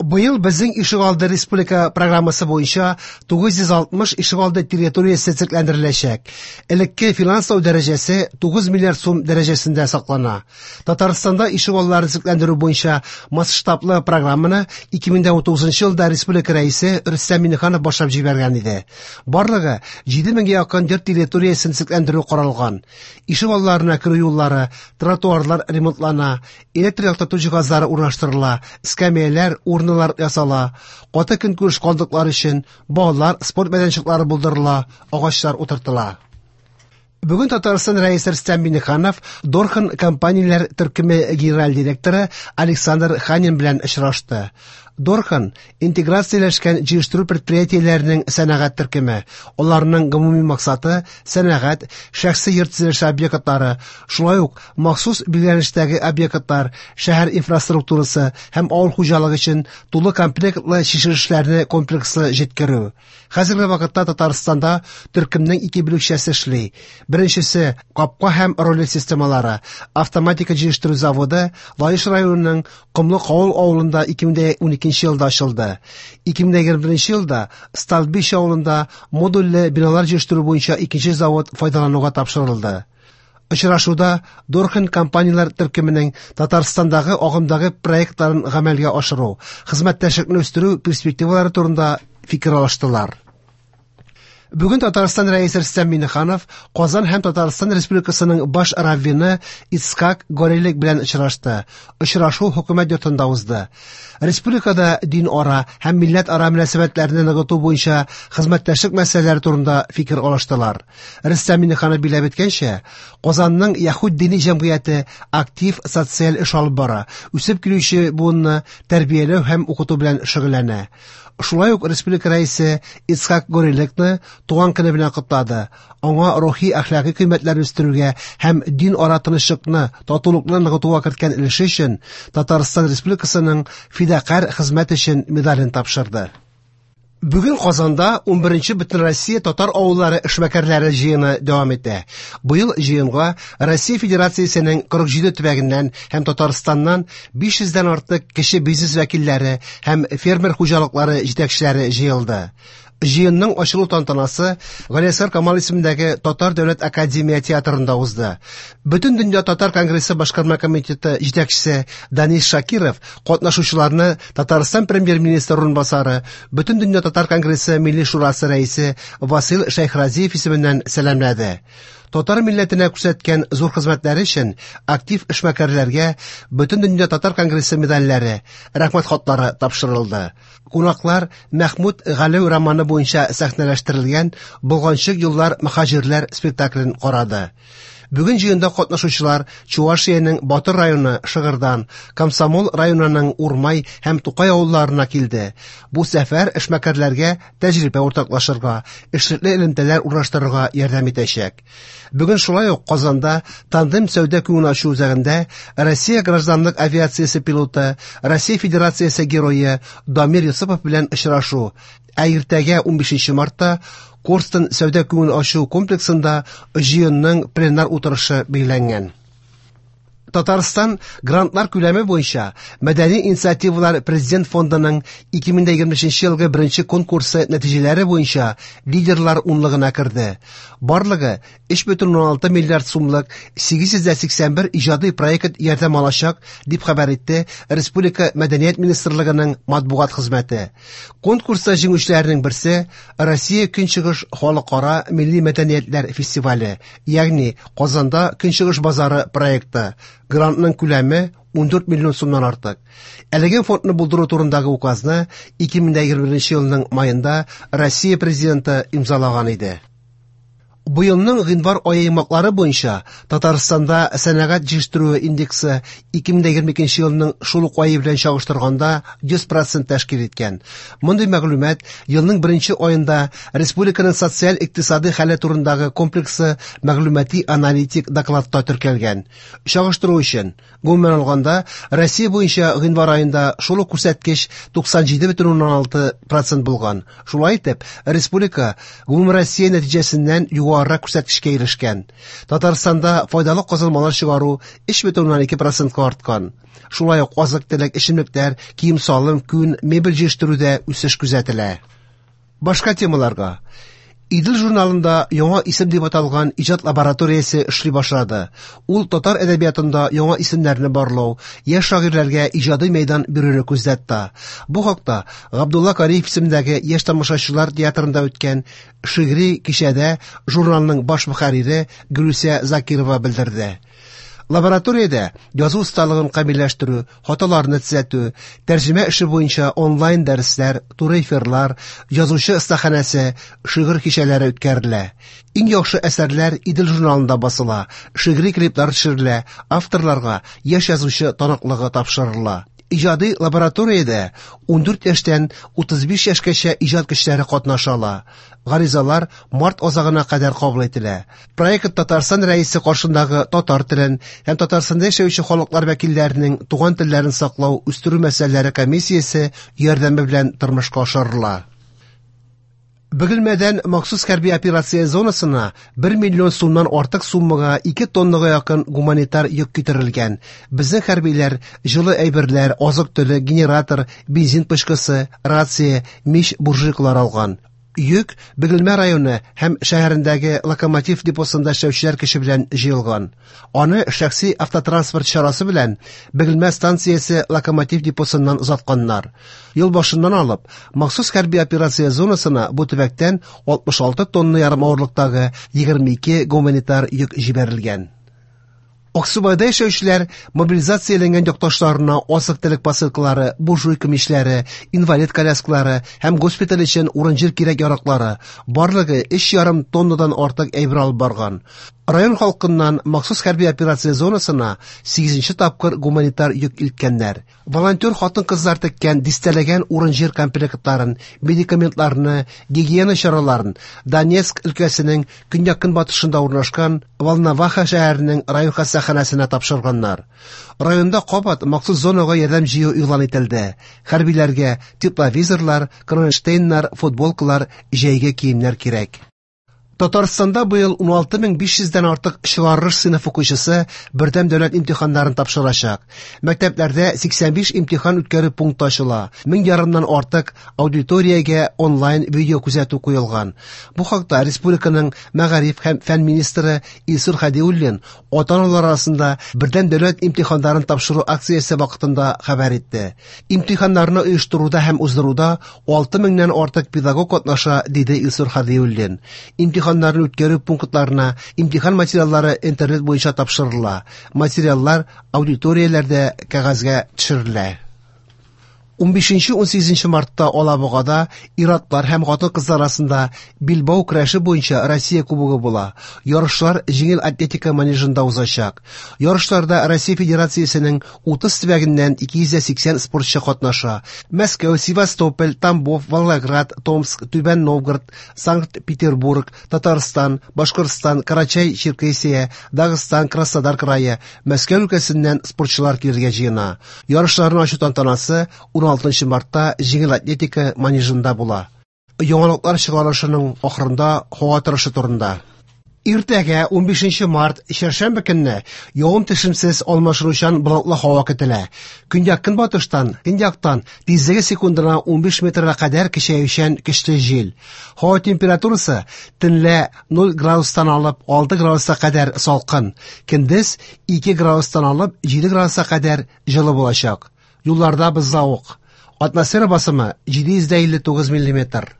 Быел безнең ишегалды республика программасы буенча 960 ишегалды территориясе төзекләндереләчәк. Элекке финанслау дәрәҗәсе 9 миллиард сум дәрәҗәсендә саклана. Татарстанда ишегалларын төзекләндерү буенча масштаблы программаны 2019 елда республика рәисе Рөстәм Миңнеханов башлап җибәргән иде. Барлыгы 7000гә якын йорт территориясен төзекләндерү каралган. Ишегалларына керү юллары, тротуарлар ремонтлана, электр яктырту җиһазлары урнаштырыла, эскәмияләр, урналар ясала, каты көнкүреш калдыклары өчен балалар спорт мәйданчыклары булдырыла, агачлар утыртыла. Бүген Татарстан Рәисе Рөстәм Миңнеханов Дорхан компанияләр төркеме генераль директоры Александр Ханин белән очрашты. Дорхан интеграцияләшкән җыештыру предприятиеләренең сәнәгать төркеме. Аларның гомуми максаты сәнәгать, шәхси йорт төзелеше объектлары, шулай ук махсус билгеләнештәге объектлар, шәһәр инфраструктурасы һәм авыл хуҗалыгы өчен тулы комплектлы чишелешләрне комплекслы җиткерү. Хәзерге вакытта Татарстанда төркемнең ике бүлекчәсе эшли. Беренчесе капка һәм ролик системалары, автоматика җыештыру заводы Лаеш районының Комлы Кавыл авылында 2012 елда ачылды. 2021 елда Столбище авылында модульле биналар җыештыру буенча икенче завод файдалануга тапшырылды. Очрашуда Дорхан компанияләр төркеменең Татарстандагы агымдагы проектларын гамәлгә ашыру, хезмәттәшлекне үстерү перспективалары турында фикер алыштылар. Бүген Татарстан Рәисе Рөстәм Миңнеханов Казан һәм Татарстан Республикасының баш раввины Ицхак Горелик белән очрашты. Очрашу хөкүмәт йортында узды. Республикада дин ара һәм милләт ара мөнәсәбәтләрне ныгыту буенча хезмәттәшлек мәсьәләләре турында фикер алыштылар. Рөстәм Миңнеханов билгеләп үткәнчә, Казанның Яһүд дини җәмгыяте актив социаль эш алып бара, үсеп килүче буынны тәрбияләү һәм укыту белән шөгыльләнә. Шулай ук республика рәисе Ицхак Гореликны туган көне белән котлады. Аңа рухи әхлакый кыйммәтләрне үстерүгә һәм дин ара тынычлыкны, татулыкны ныгытуга керткән өлеше өчен Татарстан Республикасының фидакарь хезмәт өчен медален тапшырды. Бүген Казанда 11нче Бөтенроссия татар авыллары эшмәкәрләре җыены дәвам итә. Быел җыенга Россия Федерациясенең 47 төбәгеннән һәм Татарстаннан 500дән артык кече бизнес вәкилләре һәм фермер хуҗалыклары җитәкчеләре җыелды. Җыенның ачылу тантанасы Галиәсгар Камал исемендәге Татар дәүләт академия театрында узды. Бөтен дөнья татар конгрессы башкарма комитеты җитәкчесе Данис Шакиров катнашучыларны Татарстан премьер-министры урынбасары, Бөтен дөнья татар конгрессы Милли шурасы рәисе Васил Шәйхразиев исеменнән сәламләде. Татар милләтенә күрсәткән зур хезмәтләре өчен актив эшмәкәрләргә Бөтен дөнья татар конгрессы медальләре, рәхмәт хатлары тапшырылды. Кунаклар Мәхмүт Галәү романы буенча сәхнәләштерелгән Болганчык еллар мөхаҗирләр спектаклен карады. Бүген җыенда катнашучылар Чувашиянең Батыр районы Шыгырдан, Комсомол районының Урмай һәм Тукай авылларына килде. Бу сәфәр эшмәкәрләргә тәҗрибә уртаклашырга, эшлекле элемтәләр урнаштырырга ярдәм итәчәк. Бүген шулай ук Казанда Тандем сәүдә күңел ачу үзәгендә Россия гражданлык авиациясе пилоты, Россия Федерациясе герое Дамир Йосыпов белән очрашу, ә иртәгә 15 мартта Корстон сәүдә күңел ачу комплексында җыенның пленар утырышы билгеләнгән. Татарстан грантлар күләме буенча Мәдәни инициативалар Президент фондының 2023 елгы беренче конкурсы нәтиҗәләре буенча лидерлар унлыгына керде. Барлыгы 3,6 миллиард сумлык 881 иҗади проект ярдәм алачак, дип хәбәр итте Республика Мәдәният министрлыгының матбугат хезмәте. Конкурста җиңүчеләрнең берсе Россия Көнчыгыш халыкара милли мәдәниятләр фестивале, ягъни Казанда Көнчыгыш базары проекты. Грантның күләме 14 миллион сумнан артык. Әлеге фондны булдыру турындагы указны 2021 елның маенда Россия президенты имзалаган иде. Быелның гыйнвар ае йомгаклары буенча Татарстанда сәнәгать җитештерүе индексы 2022 елның шул ук ае белән чагыштырганда 100% тәшкил иткән. Мондый мәгълүмат елның беренче аенда республиканың социаль-икътисади хәле турындагы комплексы мәгълүмати аналитик докладта теркәлгән. Чагыштыру өчен, гомумән алганда, Россия буенча гыйнвар аенда шул ук күрсәткеч 97,6% булган. Шулай итеп, республика гомумроссия нәтиҗәсеннән югары югарырак күрсәткечкә ирешкән. Татарстанда файдалы казылмалар чыгару 3,2 процентка арткан. Шулай ук азык-төлек, эчемлекләр, кием-салым, күн, мебель җитештерүдә үсеш күзәтелә. Башка темаларга. Идел журналында Яңа исем дип аталган иҗат лабораториясе эшли башлады. Ул татар әдәбиятында яңа исемнәрне барлау, яшь шагыйрьләргә иҗади мәйдан бирүне күздә тота. Бу хакта Габдулла Кариев исемендәге яшь тамашачылар театрында үткән шигъри кичәдә журналның баш мөхәррире Гөлүсә Закирова белдерде. Лабораториядә язу осталыгын камилләштерү, хаталарны төзәтү, тәрҗемә эше буенча онлайн дәресләр, туры эфирлар, язучы остаханәсе, шигырь кичәләре үткәрелә. Иң яхшы әсәрләр Идел журналында басыла, шигъри клиплар төшерелә, авторларга яшь язучы таныклыгы тапшырыла. Иҗади лабораториядә 14 яшьтән 35 яшькәчә иҗат кешеләре катнаша ала. Гаризалар март азагына кадәр кабул ителә. Проект Татарстан Рәисе каршындагы татар телен һәм Татарстанда яшәүче халыклар вәкилләренең туган телләрен саклау, үстерү мәсьәләләре комиссиясе ярдәме белән тормышка ашырыла. Бөгелмәдән махсус хәрби операция зонасына 1 миллион сумнан артык суммага 2 тоннага якын гуманитар йөк китерелгән. Безнең хәрбиләр җылы әйберләр, азык-төлек, генератор, бензин пычкысы, рация, мич, буржуйкалар алган. Йөк Бөгелмә районы һәм шәһәрендәге локомотив депосында эшләүчеләр көче белән җыелган. Аны шәхси автотранспорт чарасы белән Бөгелмә станциясе локомотив депосыннан озатканнар. Ел башыннан алып, махсус хәрби операция зонасына бу төбәктән 66 тонна ярым авырлыктагы 22 гуманитар йөк җибәрелгән. Аксубайда яшәүчеләр мобилизацияләнгән якташларына азык-төлек посылкалары, буржуйка мичләре, инвалид коляскалары һәм госпиталь өчен урын-җир кирәк-яраклары, барлыгы 3,5 тоннадан артык әйбер алып барган. Район халкыннан махсус хәрби операция зонасына 8 тапкыр гуманитар йөк илткәннәр. Волонтер хатын-кызлар теккән дистәләгән урын-җир комплектларын, медикаментларны, гигиена чараларын Донецк өлкәсенең көньяк-көнбатышында урнашкан Волноваха шәһәренең район хастаханәсенә тапшырганнар. Районда кабат махсус зонага ярдәм җыю игълан ителде. Хәрбиләргә тепловизорлар, кронштейннар, футболкалар, җәйге киемнәр кирәк. Татарстанда быел 16500 дән артык чыгарылыш сыйныф укучысы бердәм дәүләт имтиханнарын тапшырачак. Мәктәпләрдә 85 имтихан үткәрү пункты ачыла. 1500 нан артык аудиториягә онлайн видео күзәтү куелган. Бу хакта республиканың мәгариф һәм фән министры Илсур Хәдиуллин ата-аналар арасында бердәм дәүләт имтиханнарын тапшыру акциясе вакытында хәбәр итте. Имтиханнарны оештыруда һәм уздыруда 6000 нән артык педагог катнаша, диде Илсур Хәдиуллин. Имтиханнарны үткәрү пунктларына имтихан материаллары интернет буенча тапшырыла. Материаллар аудиторияләрдә кәгазьгә төшерелә. 15-18 мартта Алабугада ир-атлар һәм хатын-кызлар арасында билбау көрәше буенча Россия кубогы була. Ярышлар җиңел атлетика манежында узачак. Ярышларда Россия Федерациясенең 30 төбәгеннән 280 спортчы катнаша. Мәскәү, Севастополь, Тамбов, Волгоград, Томск, Түбән Новгород, Санкт-Петербург, Татарстан, Башкортстан, Карачай-Черкесия, Дагыстан, Краснодар крае, Мәскәү өлкәсеннән спортчылар килергә җыена. Ярышларны ачу тантанасы 16 мартта җиңел атлетика манежында була. Яңалыклар чыгарылышының ахырында һава торышы турында. Иртәгә 15 март чәршәмбе көнне явым-төшемсез алмашынучан болытлы һава көтелә. Көньяк-көнбатыштан, көньяктан тизлеге секундына 15 метрга кадәр көчәючән көчле җил. Һава температурасы төнлә 0 градустан алып 6 градуска кадәр салкын, көндез 2 градустан алып 7 градуска кадәр җылы булачак. Юлларда бозлавык. Атмосфера басымы 759 миллиметр.